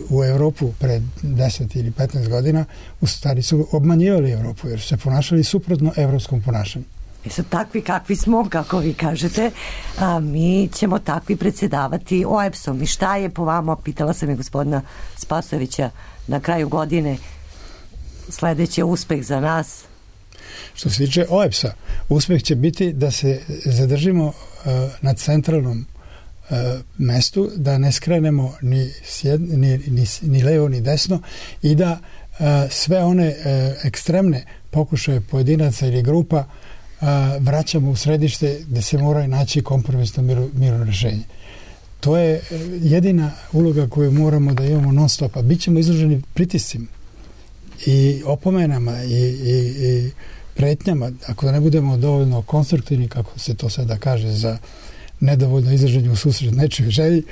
u Evropu pred 10 ili 15 godina, u stvari su obmanjivali Evropu, jer su se ponašali suprotno evropskom ponašanju. I sad takvi kakvi smo, kako vi kažete, a mi ćemo takvi predsjedavati OEBS-om. I šta je po vama, pitala sam je gospodina Spasojevića, na kraju godine sledeći uspeh za nas? Što se tiče OEBS-a, uspeh će biti da se zadržimo na centralnom mestu, da ne skrenemo ni levo ni desno i da sve one ekstremne pokušaje pojedinaca ili grupa vraćamo u središte gde se moraju naći kompromisno mirno rešenje. To je jedina uloga koju moramo da imamo non stop, a bit ćemo izloženi pritiscima i opomenama i pretnjama, ako ne budemo dovoljno konstruktivni, kako se to sada kaže, za nedovoljno izraženje u susret nečoj želji,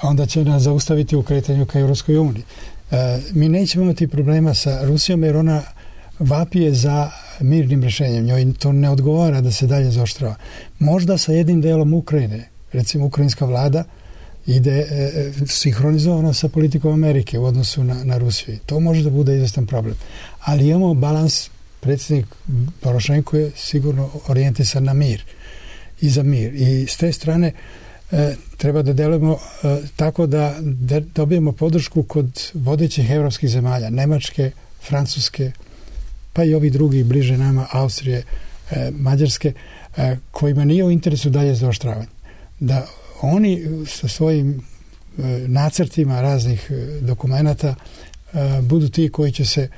onda će nas zaustaviti u kretanju ka Evropskoj uniji. Mi nećemo imati problema sa Rusijom, jer ona vapije za mirnim rešenjem. Njoj to ne odgovara da se dalje zaoštrava. Možda sa jednim delom Ukrajine, recimo ukrajinska vlada ide sinhronizovano sa politikom Amerike u odnosu na Rusiju. To može da bude izvestan problem. Ali imamo balans, predsjednik Porošenko je sigurno orijentisan na mir i za mir. I s te strane treba da delujemo tako da dobijemo podršku kod vodećih evropskih zemalja, Nemačke, Francuske, pa i ovi drugi bliže nama, Austrije, Mađarske, kojima nije u interesu dalje zaoštravanje. Da oni sa svojim nacrtima raznih dokumenata budu ti koji će se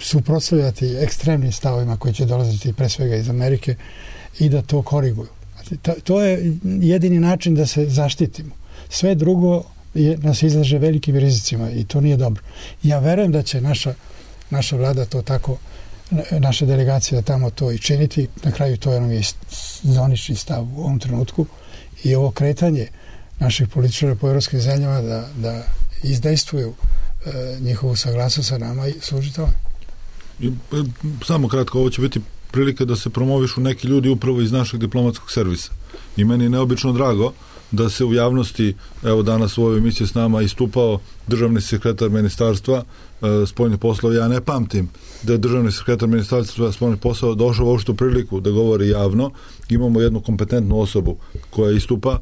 suprotstavljati ekstremnim stavovima koji će dolaziti pre svega iz Amerike i da to koriguju. To je jedini način da se zaštitimo. Sve drugo nas izlaže velikim rizicima i to nije dobro. Ja verujem da će naša vlada to tako, naša delegacija tamo to i činiti. Na kraju to je nam zvanični stav u ovom trenutku i ovo kretanje naših političara po evropskim zemljama da izdejstvuju njihovu saglasnost sa nama i služi tome. Samo kratko, ovo će biti prilika da se promovišu neki ljudi upravo iz našeg diplomatskog servisa. I meni je neobično drago da se u javnosti, evo danas u ovoj emisiji s nama istupao državni sekretar ministarstva spoljnih poslova. Ja ne pamtim da je državni sekretar ministarstva spoljnih poslova došao u ovu priliku da govori javno. Imamo jednu kompetentnu osobu koja istupa.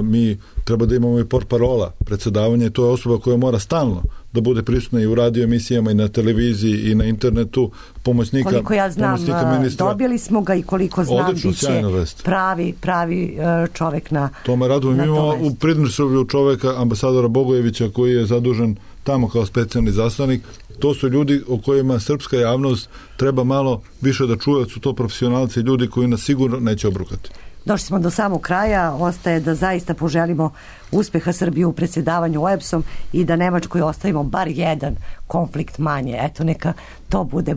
Mi treba da imamo i portparola predsedavanja i to je osoba koja mora stalno da bude prisutna i u radio emisijama i na televiziji i na internetu, pomoćnika koliko ja znam, ministra. Dobili smo ga i koliko znam odlično, biće pravi čovek na to me raduje. Mi imamo u Pridnjestrovlju čoveka, ambasadora Bogojevića, koji je zadužen tamo kao specijalni zaslanik. To su ljudi o kojima srpska javnost treba malo više da čuje, su to profesionalci, ljudi koji nas sigurno neće obrukati. Došli smo do samog kraja, ostaje da zaista poželimo uspeha Srbije u predsjedavanju OEBS-om i da Nemačkoj ostavimo bar jedan konflikt manje. Eto, neka to bude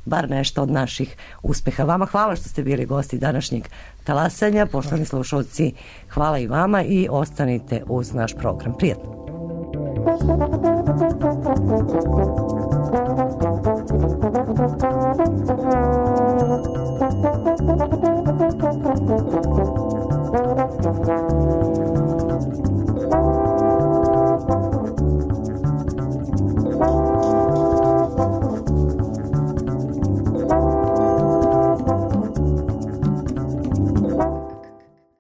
bar nešto od naših uspeha. Vama hvala što ste bili gosti današnjeg talasanja. Poštovani slušalci, hvala i vama i ostanite uz naš program. Prijatno. Thank you.